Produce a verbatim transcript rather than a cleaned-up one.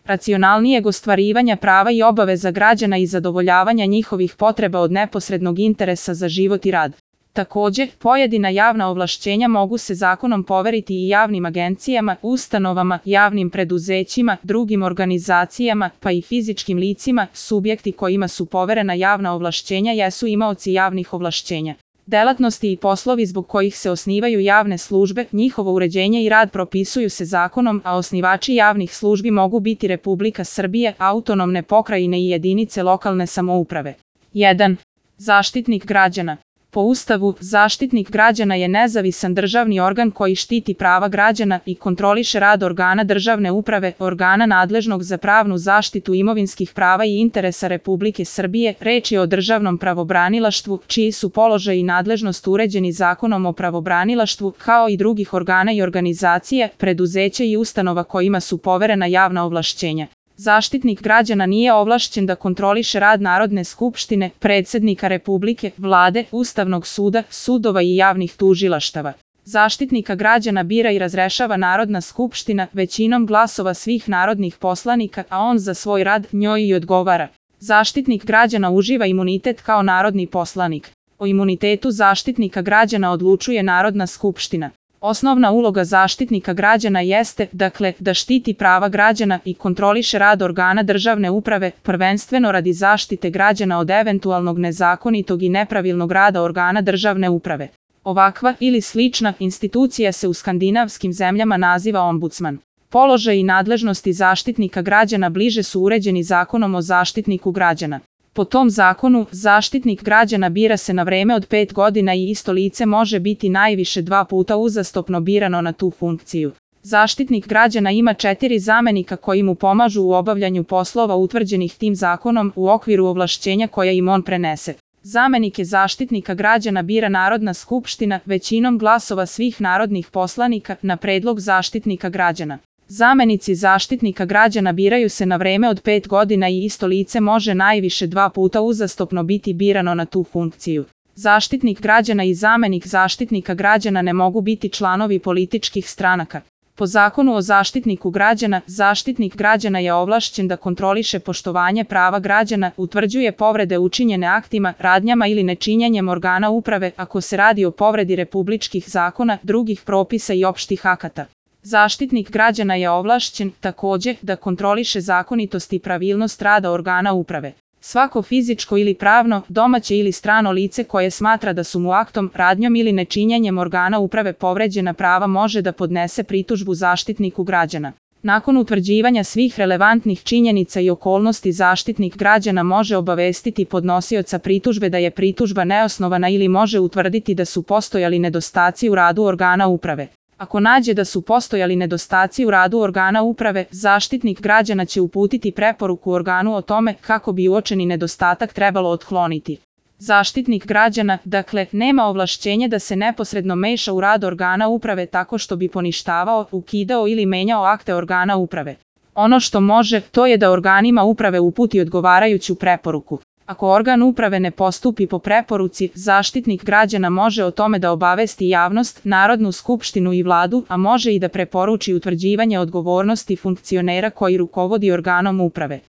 racionalnijeg ostvarivanja prava i obaveza građana i zadovoljavanja njihovih potreba od neposrednog interesa za život i rad. Takođe, pojedina javna ovlašćenja mogu se zakonom poveriti i javnim agencijama, ustanovama, javnim preduzećima, drugim organizacijama, pa i fizičkim licima. Subjekti kojima su poverena javna ovlašćenja jesu imaoci javnih ovlašćenja. Delatnosti i poslovi zbog kojih se osnivaju javne službe, njihovo uređenje i rad propisuju se zakonom, a osnivači javnih službi mogu biti Republika Srbije, autonomne pokrajine i jedinice lokalne samouprave. jedan. Zaštitnik građana. Po Ustavu, Zaštitnik građana je nezavisan državni organ koji štiti prava građana i kontroliše rad organa državne uprave, organa nadležnog za pravnu zaštitu imovinskih prava i interesa Republike Srbije. Reč je o državnom pravobranilaštvu, čiji su položaj i nadležnost uređeni Zakonom o pravobranilaštvu, kao i drugih organa i organizacija, preduzeća i ustanova kojima su poverena javna ovlašćenja. Zaštitnik građana nije ovlašćen da kontroliše rad Narodne skupštine, predsednika Republike, Vlade, Ustavnog suda, sudova i javnih tužilaštava. Zaštitnika građana bira i razrešava Narodna skupština većinom glasova svih narodnih poslanika, a on za svoj rad njoj i odgovara. Zaštitnik građana uživa imunitet kao narodni poslanik. O imunitetu Zaštitnika građana odlučuje Narodna skupština. Osnovna uloga Zaštitnika građana jeste, dakle, da štiti prava građana i kontroliše rad organa državne uprave, prvenstveno radi zaštite građana od eventualnog nezakonitog i nepravilnog rada organa državne uprave. Ovakva ili slična institucija se u skandinavskim zemljama naziva ombudsman. Položaj i nadležnosti Zaštitnika građana bliže su uređeni Zakonom o Zaštitniku građana. Po tom zakonu, Zaštitnik građana bira se na vreme od pet godina i isto lice može biti najviše dva puta uzastopno birano na tu funkciju. Zaštitnik građana ima četiri zamenika koji mu pomažu u obavljanju poslova utvrđenih tim zakonom u okviru ovlašćenja koja im on prenese. Zamenike Zaštitnika građana bira Narodna skupština većinom glasova svih narodnih poslanika na predlog Zaštitnika građana. Zamenici Zaštitnika građana biraju se na vreme od pet godina i isto lice može najviše dva puta uzastopno biti birano na tu funkciju. Zaštitnik građana i zamenik Zaštitnika građana ne mogu biti članovi političkih stranaka. Po Zakonu o Zaštitniku građana, Zaštitnik građana je ovlašćen da kontroliše poštovanje prava građana, utvrđuje povrede učinjene aktima, radnjama ili nečinjenjem organa uprave ako se radi o povredi republičkih zakona, drugih propisa i opštih akata. Zaštitnik građana je ovlašćen, takođe, da kontroliše zakonitost i pravilnost rada organa uprave. Svako fizičko ili pravno, domaće ili strano lice koje smatra da su mu aktom, radnjom ili nečinjenjem organa uprave povređena prava može da podnese pritužbu Zaštitniku građana. Nakon utvrđivanja svih relevantnih činjenica i okolnosti Zaštitnik građana može obavestiti podnosioca pritužbe da je pritužba neosnovana ili može utvrditi da su postojali nedostaci u radu organa uprave. Ako nađe da su postojali nedostaci u radu organa uprave, Zaštitnik građana će uputiti preporuku organu o tome kako bi uočeni nedostatak trebalo otkloniti. Zaštitnik građana, dakle, nema ovlašćenje da se neposredno meša u rad organa uprave tako što bi poništavao, ukidao ili menjao akte organa uprave. Ono što može, to je da organima uprave uputi odgovarajuću preporuku. Ako organ uprave ne postupi po preporuci, Zaštitnik građana može o tome da obavesti javnost, Narodnu skupštinu i Vladu, a može i da preporuči utvrđivanje odgovornosti funkcionera koji rukovodi organom uprave.